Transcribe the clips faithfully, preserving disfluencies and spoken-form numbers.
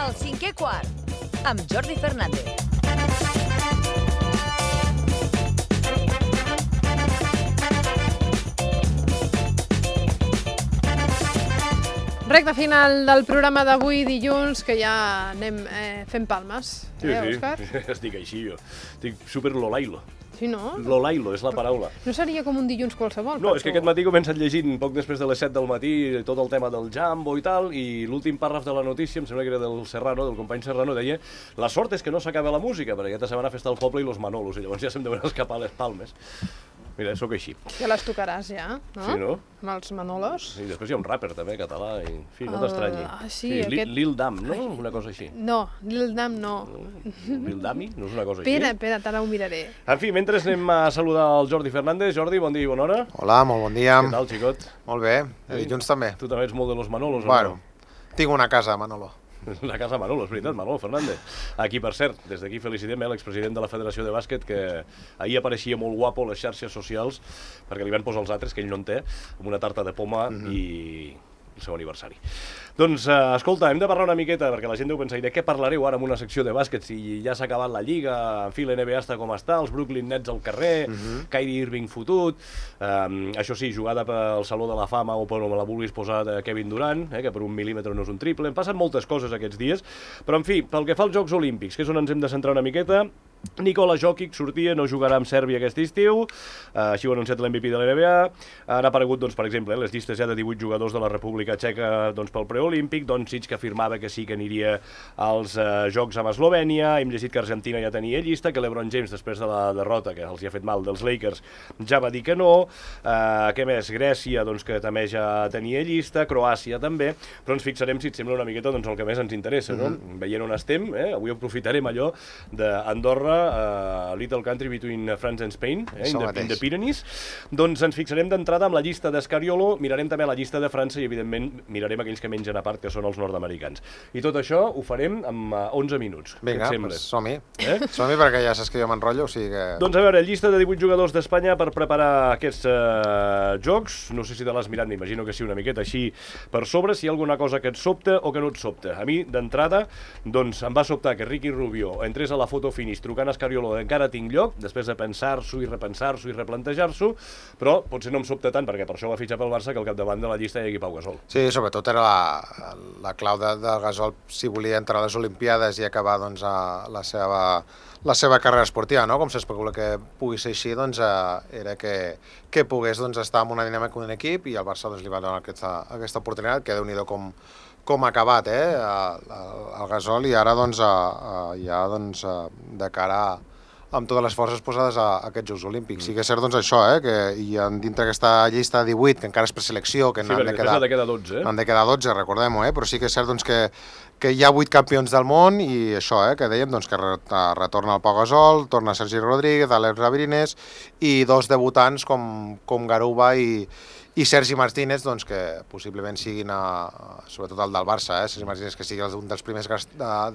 El cinquè quart, amb Jordi Fernández. Recte final del programa d'avui, dilluns, que ja anem eh, fent palmes. Sí, eh, sí, Òscar? estic així jo. Estic super lolailo. Sí, no? Lolailo és la paraula. No seria com un dilluns qualsevol? No, per és que tu? aquest matí he començat llegint poc després de les set del matí tot el tema del Jambo i tal, i l'últim pàrraf de la notícia, em sembla que era del Serrano, del company Serrano, deia la sort és que no s'acaba la música, perquè aquesta setmana festa el poble i los Manolos, i llavors ja se'm deuen escapar les palmes. Mira, sóc així. Ja les tocaràs, ja, no? Sí, no? Amb els Manolos. I després hi ha un rapper també, català, i en fi, no t'estranyi. Ah, sí, Li- aquest- Lil Dam, no? Una cosa així. No, Lil Dam no. Lil Dami? No és una cosa així? Espera, espera, ara ho miraré. En fi, mentre anem a saludar el Jordi Fernández. Jordi, bon dia i bona hora. Hola, molt bon dia. Què tal, xicot? Molt bé, de dilluns també. Tu també ets molt de los Manolos, Bueno, o tinc una casa, Manolo. no? La casa Manolo, és veritat, Manolo Fernández. Aquí, per cert, des d'aquí felicitem eh, l'expresident de la Federació de Bàsquet, que ahir apareixia molt guapo a les xarxes socials, perquè li van posar els altres, que ell no en té, amb una tarta de poma mm-hmm. i el seu aniversari. Doncs, eh, escolta, hem de parlar una miqueta, perquè la gent deu pensar, i de què parlareu ara en una secció de bàsquet, si ja s'ha acabat la Lliga, en fi, l'N B A està com està, els Brooklyn Nets al carrer, Mhm. Kyrie Irving fotut, eh, això sí, jugada pel Saló de la Fama o per on me la vulguis posar de Kevin Durant, eh, que per un mil·límetre no és un triple, em passen moltes coses aquests dies, però en fi, pel que fa als Jocs Olímpics, que és on ens hem de centrar una miqueta, Nikola Jokic sortia, no jugarà amb Sèrbia aquest estiu, eh, així ho ha anunciat l'M V P de l'N B A, han aparegut, doncs, per exemple, les llistes ja de divuit jugadors de la República Txeca doncs, pel preolímpic, Doncic que afirmava que sí que aniria als eh, Jocs amb Eslovènia, hem llegit que Argentina ja tenia llista, que l'Ebron James, després de la derrota que els hi ha fet mal dels Lakers, ja va dir que no, eh, què més, Grècia, doncs, que també ja tenia llista, Croàcia també, però ens fixarem, si et sembla, una miqueta doncs, el que més ens interessa, no? Mm-hmm. Veient on estem, eh? Avui aprofitarem allò d'Andorra, Uh, Little Country Between France and Spain, eh, in, the, in the Pyrenees. Doncs ens fixarem d'entrada amb la llista d'Escariolo, mirarem també la llista de França i, evidentment, mirarem aquells que mengen a part, que són els nord-americans. I tot això ho farem en uh, onze minuts. Vinga, Què et sembla? pues som-hi. Eh? Som-hi perquè ja saps que jo m'enrotllo, o sigui que... Doncs a veure, llista de divuit jugadors d'Espanya per preparar aquests uh, jocs. No sé si te l'has mirat, m'imagino que sí, una miqueta així per sobre, si hi ha alguna cosa que et sobta o que no et sobta. A mi, d'entrada, doncs em va sobtar que Ricky Rubio entrés a la foto finish trucant a Escariolo encara tinc lloc, després de pensar-s'ho i repensar-s'ho i replantejar-s'o, però potser no em sobta tant, perquè per això va fitxar pel Barça, que al capdavant de la llista hi hagi Pau Gasol. Sí, sobretot era la, la clau de, de Gasol si volia entrar a les Olimpiades i acabar doncs, a la, seva, la seva carrera esportiva, no? Com s'especula que pugui ser així, doncs, eh, era que, que pogués doncs, estar en una dinàmica d'un equip i el Barça doncs, li va donar aquesta, aquesta oportunitat, que déu-n'hi-do com, com ha acabat eh, el, el Gasol, i ara doncs, eh, ja doncs, de cara a amb totes les forces posades a, a aquests Jocs Olímpics. Mm. Sí que és cert doncs, això, eh, que hi ha dintre aquesta llista de divuit, que encara és preselecció, que Sí, n'han perquè de quedar, després ha de quedar dotze, eh? n'han de quedar dotze, recordem-ho, eh, però sí que és cert doncs, que, que hi ha vuit campions del món i això, eh, que dèiem doncs, que re retorna el Pau Gasol, torna Sergi Rodríguez, Alex Labrines i dos debutants com, com Garuba i, i Sergi Martínez, doncs, que possiblement siguin, a, sobretot el del Barça, eh, Sergi Martínez, que sigui un dels primers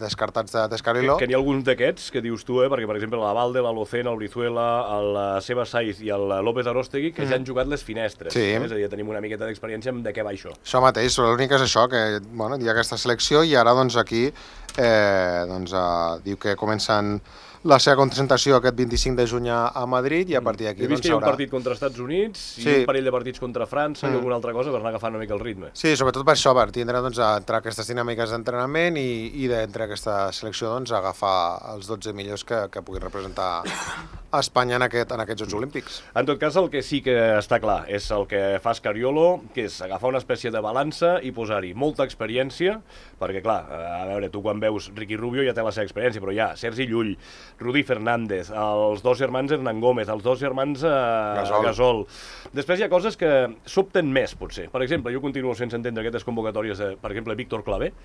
descartats d'Escarilo. Que, que n'hi ha alguns d'aquests que dius tu, eh, perquè, per exemple, la Valde, la Locena, el Brizuela, el Seba Saiz i el López Arostegui, que mm. ja han jugat les finestres. Sí. Eh? És a dir, ja tenim una miqueta d'experiència en de què va això. Això mateix, l'únic és això, que bueno, hi ha aquesta selecció i ara doncs, aquí eh, doncs, eh, diu que comencen la seva concentració aquest vint-i-cinc de juny a Madrid i a partir d'aquí... He vist doncs, que hi ha un haurà... partit contra Estats Units i Sí. un parell de partits contra França mm. i alguna altra cosa per anar agafant una mica el ritme. Sí, sobretot per això, per tindre doncs, entre aquestes dinàmiques d'entrenament i, i d'entre aquesta selecció doncs, agafar els dotze millors que, que puguin representar a Espanya en, aquest, en aquests Jocs Olímpics. En tot cas, el que sí que està clar és el que fa Scariolo, que és agafar una espècie de balança i posar-hi molta experiència, perquè, clar, a veure, tu quan veus Ricky Rubio ja té la seva experiència, però hi ha Sergi Llull, Rudi Fernández, els dos germans Hernán Gómez, els dos germans eh, Gasol. Gasol. Després hi ha coses que sobten més, potser. Per exemple, jo continuo sense entendre aquestes convocatòries de, per exemple, Víctor Clavé,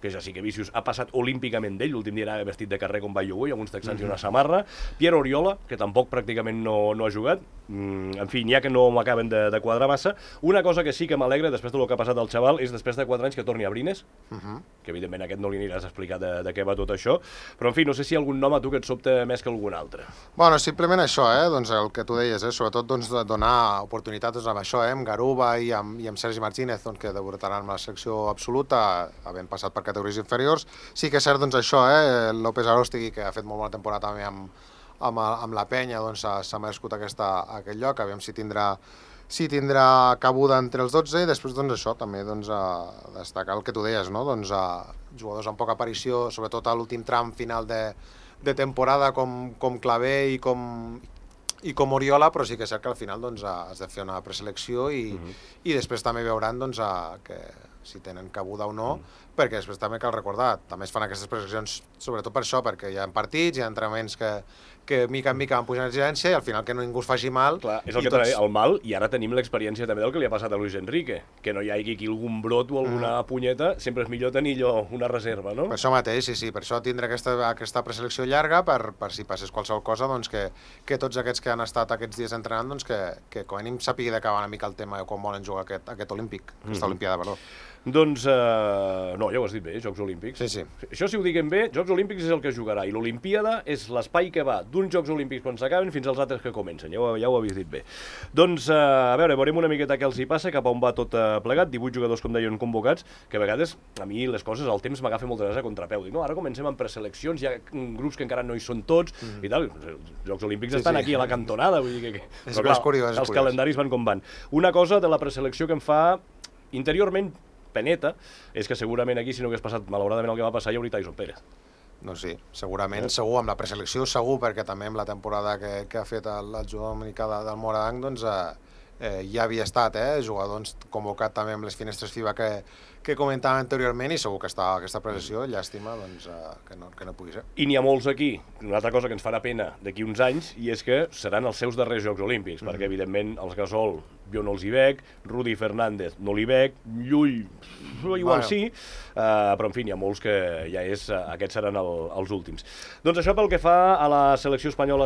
que ja sí que Vicius ha passat olímpicament d'ell, l'últim dia anava vestit de carrer com va jugar, amb uns texans mm-hmm. i una samarra, Pierre Oriola, que tampoc pràcticament no, no ha jugat, mm, en fi, n'hi ha que no m'acaben de, de quadrar massa. Una cosa que sí que m'alegra després del que ha passat al xaval és després de quatre anys que torni a Brines, mm-hmm. que evidentment aquest no li aniràs a explicar de, de què va tot això, però en fi, no sé si hi ha algun nom a tu que et sobta més que algun altre. Bueno, simplement això, eh? doncs el que tu deies, eh? sobretot doncs, donar oportunitats doncs, amb això, eh? amb Garuba i amb, i amb Sergi Martínez, doncs, que debutaran amb la selecció absoluta, havent passat per categories inferiors. Sí que és cert, doncs, això, eh? López Arostegui, que ha fet molt bona temporada també amb, amb, amb la penya, doncs s'ha merescut aquesta, aquest lloc, aviam si tindrà si tindrà cabuda entre els dotze, i després doncs això, també doncs, a destacar el que tu deies, no? Doncs, a jugadors amb poca aparició, sobretot a l'últim tram final de, de temporada com, com Clavé i com, i com Oriola, però sí que és cert que al final doncs, has de fer una preselecció i, uh -huh. i després també veuran doncs, a, que si tenen cabuda o no, uh -huh. perquè després també cal recordar, també es fan aquestes preseleccions sobretot per això, perquè hi ha partits, hi ha entrenaments que, que mica en mica van pujant exigència i al final que no ningú es faci mal. Clar, és el que tots... el mal, i ara tenim l'experiència també del que li ha passat a Luis Enrique, que no hi hagi aquí algun brot o alguna mm. punyeta, sempre és millor tenir allò, una reserva, no? Per això mateix, sí, sí, per això tindre aquesta, aquesta preselecció llarga, per, per si passés qualsevol cosa, doncs que, que tots aquests que han estat aquests dies entrenant, doncs que, que com a mínim sàpiga d'acabar una mica el tema de com volen jugar aquest, aquest olímpic, aquesta mm. olimpiada, perdó. Doncs, uh, no, ja ho has dit bé, Jocs Olímpics. Sí, sí. Això, si ho diguem bé, Jocs Olímpics és el que es jugarà, i l'Olimpiada és l'espai que va d'uns Jocs Olímpics quan s'acaben fins als altres que comencen, ja ho, ja ho habéis dit bé. Doncs, uh, a veure, veurem una miqueta què els hi passa, cap a on va tot uh, plegat, divuit jugadors, com deien, convocats, que a vegades, a mi les coses, el temps m'agafa moltes vegades a contrapeu. Dic, no, ara comencem amb preseleccions, hi ha grups que encara no hi són tots, mm. i tal, els Jocs Olímpics sí, estan sí. aquí a la cantonada, vull dir que... que... És, clar, és curiós, és els curiós. calendaris van com van. Una cosa de la preselecció que em fa interiorment peneta, és que segurament aquí, si no hagués passat malauradament el que va passar, hi hauria Tyson Pérez. Doncs sí, segurament, eh? segur, amb la preselecció segur, perquè també amb la temporada que, que ha fet el, el jugador dominicà de, del Moradanc, doncs eh, eh, ja havia estat, eh, jugador doncs, convocat també amb les finestres FIBA que, que comentàvem anteriorment, i segur que està aquesta preselecció, llàstima doncs, eh, que, no, que no pugui ser. I n'hi ha molts aquí, una altra cosa que ens farà pena d'aquí uns anys, i és que seran els seus darrers Jocs Olímpics, mm. perquè evidentment els Gasol jo no els hi veig, Rudy Fernández no li veig, Llull igual bueno. sí, uh, però en fi, n'hi ha molts que ja és, uh, aquests seran el, els últims. Doncs això pel que fa a la selecció espanyola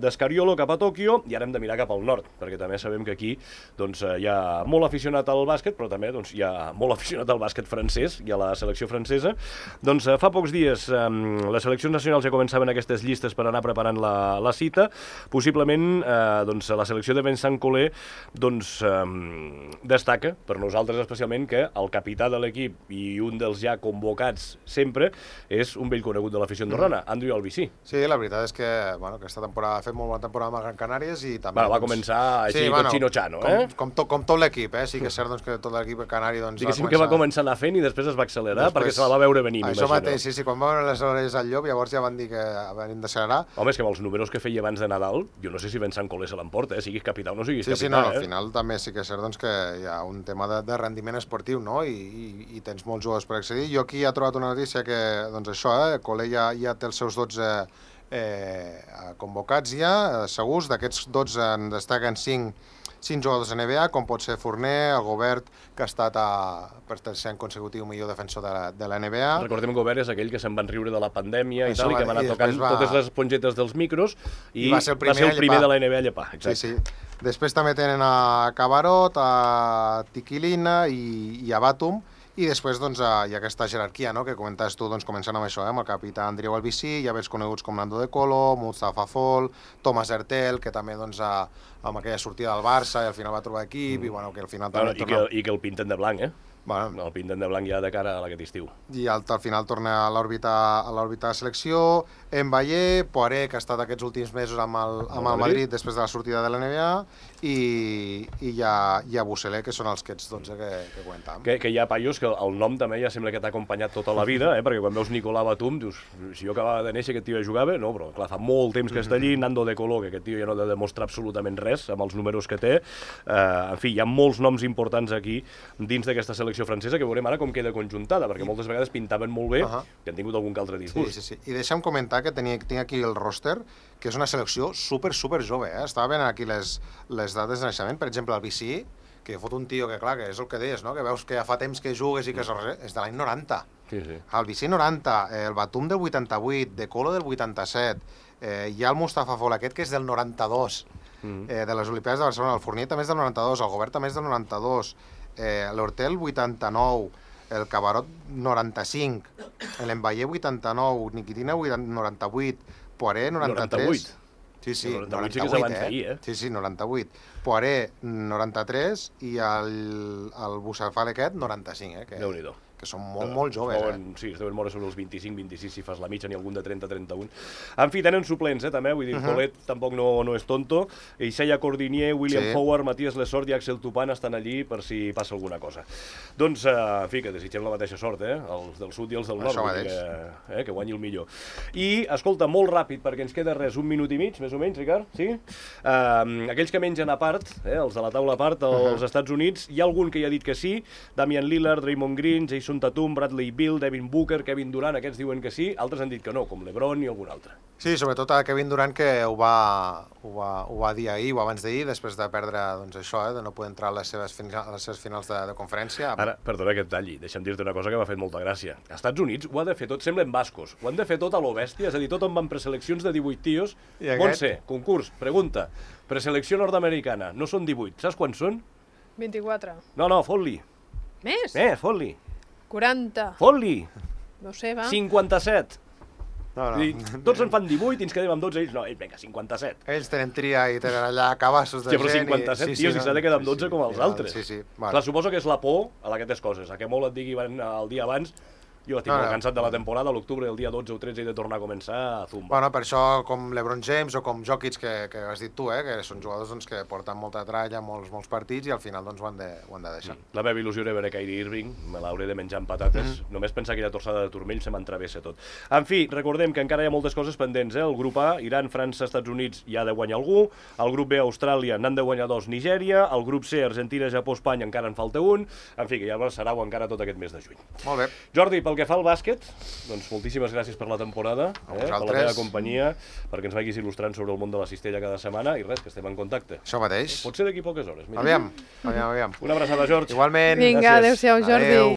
d'Escariolo de, cap a Tòquio, i ara hem de mirar cap al nord, perquè també sabem que aquí doncs, hi ha molt aficionat al bàsquet, però també doncs, hi ha molt aficionat al bàsquet francès i a la selecció francesa. Doncs uh, fa pocs dies um, les seleccions nacionals ja començaven aquestes llistes per anar preparant la, la cita, possiblement uh, doncs, la selecció de Vincent Collet doncs um, destaca, per nosaltres especialment, que el capità de l'equip i un dels ja convocats sempre és un vell conegut de l'afició andorrana, mm. Andrew Albisí. Sí, la veritat és que bueno, aquesta temporada ha fet molt bona temporada amb el Gran Canàries i també... Bueno, va doncs... començar així, sí, bueno, chino-chano, eh? Com, com, to, com tot l'equip, eh? Sí que és cert doncs, que tot l'equip canari doncs, Diguéssim va començar... que va començar a anar fent i després es va accelerar després... perquè se la va veure venir, Això mateix, sí, sí, quan va veure les hores al llop llavors ja van dir que venim d'accelerar. Home, és que amb els números que feia abans de Nadal, jo no sé si Vincent Collet se l'emporta, eh? Siguis capità o no siguis sí, capità, sí, no, eh? al final també sí que és cert doncs, que hi ha un tema de, de rendiment esportiu, no? I, i, i tens molts jugadors per accedir. Jo aquí he trobat una notícia que, doncs això, eh, Collet ja, ja té els seus dotze eh, convocats ja, segurs. D'aquests dotze en destaquen cinc, cinc jugadors de N B A, com pot ser Fournier, el Gobert, que ha estat a, per tercer any consecutiu millor defensor de la, de la N B A. Recordem que Gobert és aquell que se'n van riure de la pandèmia i tal, i que va anar tocant va... totes les espongetes dels micros i, I va ser el primer, va ser el primer de la N B A a llepar. Exacte. Sí, sí. Després també tenen a Cabarot, a Tiquilina i, i a Batum, i després doncs, hi ha aquesta jerarquia, no?, que comentaves tu, doncs, començant amb això, eh, amb el capità Andrieu Albisí, hi ha vells coneguts com Nando De Colo, Mustafa Fall, Thomas Hertel, que també doncs, a, amb aquella sortida del Barça i al final va trobar equip, mm. i bueno, que al final bueno, també... I, torna... que, I que el pinten de blanc, eh? Bueno, el pinten de blanc ja de cara a aquest estiu. I al, al final torna a l'òrbita a l'òrbita de selecció, Mbaye, Poiré, que ha estat aquests últims mesos amb el, amb el Madrid. Madrid després de la sortida de la N B A, i, i hi ha, hi ha Busselé, que són els aquests dotze que, que comentàvem. Que, que hi ha paios que el nom també ja sembla que t'ha acompanyat tota la vida, eh? Perquè quan veus Nicolà Batum, dius, si jo acabava de néixer aquest tio ja jugava, no, però clar, fa molt temps que està allí, Nando De Colo, que aquest tio ja no ha de demostrar absolutament res amb els números que té. Uh, en fi, hi ha molts noms importants aquí dins d'aquesta selecció francesa, que veurem ara com queda conjuntada, perquè moltes vegades pintaven molt bé, uh -huh. que han tingut algun altre disgust. Sí, sí, sí. I deixa'm comentar que tenia, tinc aquí el roster, que és una selecció super, super jove, eh? Estava veient aquí les, les dates de naixement, per exemple, el Vichy, que fot un tio que, clar, que és el que deies, no?, que veus que ja fa temps que jugues i que és, és de l'any noranta. Sí, sí. El Vichy noranta, el Batum del vuitanta-vuit, De Colo del vuitanta-set, eh, hi ha el Mustafa Fall aquest, que és del noranta-dos, mm. eh, de les Olimpiades de Barcelona, el Fournier també és del noranta-dos, el Gobert també és del noranta-dos, eh, l'Hortel vuitanta-nou, el Cabarot noranta-cinc, l'Embaye vuitanta-nou, Nikitina noranta-vuit, Poiré noranta-tres... noranta-vuit? Sí, sí, noranta-vuit, sí que és abans d'ahir, eh? Sí, sí, noranta-vuit. Poiré noranta-tres i el, el Bussafal aquest noranta-cinc, eh? Que, Déu-n'hi-do. que són molt, molt joves, Deuen, eh? Sí, es deuen moure sobre els vint-i-cinc vint-i-sis si fas la mitja, ni algun de trenta trenta un. En fi, tenen suplents, eh, també, vull dir, uh -huh. Colet tampoc no, no és tonto, Isaiah Cordinier, William Sí. Howard, Matías Lesort i Axel Tupan estan allí per si passa alguna cosa. Doncs, eh, en fi, que desitgem la mateixa sort, eh, els del sud i els del nord, Això vull dir mateix. que, eh, que guanyi el millor. I, escolta, molt ràpid, perquè ens queda res, un minut i mig, més o menys, Ricard, sí? Uh, aquells que mengen a part, eh, els de la taula a part, als uh -huh. Estats Units, hi ha algun que ja ha dit que sí, Damian Lillard, Draymond Green, Jason Tatum, Bradley Beal, Devin Booker, Kevin Durant, aquests diuen que sí, altres han dit que no, com LeBron i algun altre. Sí, sobretot a Kevin Durant, que ho va, ho va, ho va dir ahir o abans d'ahir, després de perdre doncs, això, eh, de no poder entrar a les seves, fina, a les seves finals de, de conferència. Ara, perdona que et talli, deixa'm dir-te una cosa que m'ha fet molta gràcia. Als Estats Units ho ha de fer tot, semblen bascos, ho han de fer tot a lo bèstia, és a dir, tot on van preseleccions de divuit tios. I aquest? Montse, concurs, pregunta, preselecció nord-americana, no són divuit, saps quants són? vint-i-quatre. No, no, fot-li, Més? eh, fot-li, quaranta. fot-li, No sé, va. cinquanta-set. No, no. Dir, tots en fan divuit i ens quedem amb dotze, ells no, ells, vinga, cinquanta-set. Ells tenen tria i tenen allà cabassos de Hòstia, però gent. cinquanta-set i... tios i s'ha de quedar amb dotze com els sí, altres. Sí, sí. Bueno. Clar, suposo que és la por a aquestes coses, a que molt et digui van el dia abans. Jo estic No, molt no. cansat de la temporada, a l'octubre, el dia dotze o tretze he de tornar a començar a zumba. Bueno, per això, com LeBron James o com Jokic, que, que has dit tu, eh, que són jugadors doncs, que porten molta tralla, molts, molts partits, i al final doncs, ho, han de, ho han de deixar. La meva il·lusió era veure Kyrie Irving, me l'hauré de menjar amb patates. Mm -hmm. Només pensar que aquella torçada de turmell se m'entravessa tot. En fi, recordem que encara hi ha moltes coses pendents. Eh? El grup A, Iran, França, Estats Units, hi ha de guanyar algú. El grup B, Austràlia, n'han de guanyar dos, Nigèria. El grup C, Argentina, Japó, Espanya, encara en falta un. En fi, que ja serà encara tot aquest mes de juny. Molt bé. Jordi, pel que fa al bàsquet, doncs moltíssimes gràcies per la temporada, A eh, per la vosaltres. teva companyia, perquè ens vagis il·lustrant sobre el món de la cistella cada setmana, i res, que estem en contacte. Això mateix. Pot ser d'aquí poques hores. Mira. Aviam, aviam, aviam. Una abraçada, George. Igualment. Vinga, gràcies. adéu-siau, Jordi. Adéu.